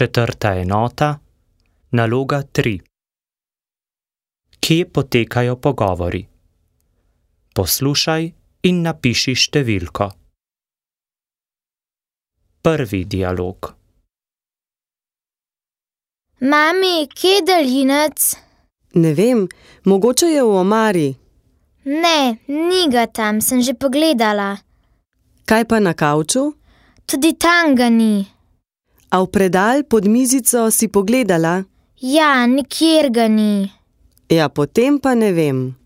Četrta enota, naloga 3. Kje potekajo pogovori? Poslušaj in napiši številko. Prvi dialog. Mami, kje je daljinec? Ne vem, mogoče je v omari. Ne, ni ga tam, sem že pogledala. Kaj pa na kavču? Tudi tam ga ni. A v predal pod mizico si pogledala? Ja, nikjer ga ni. Ja, potem pa ne vem.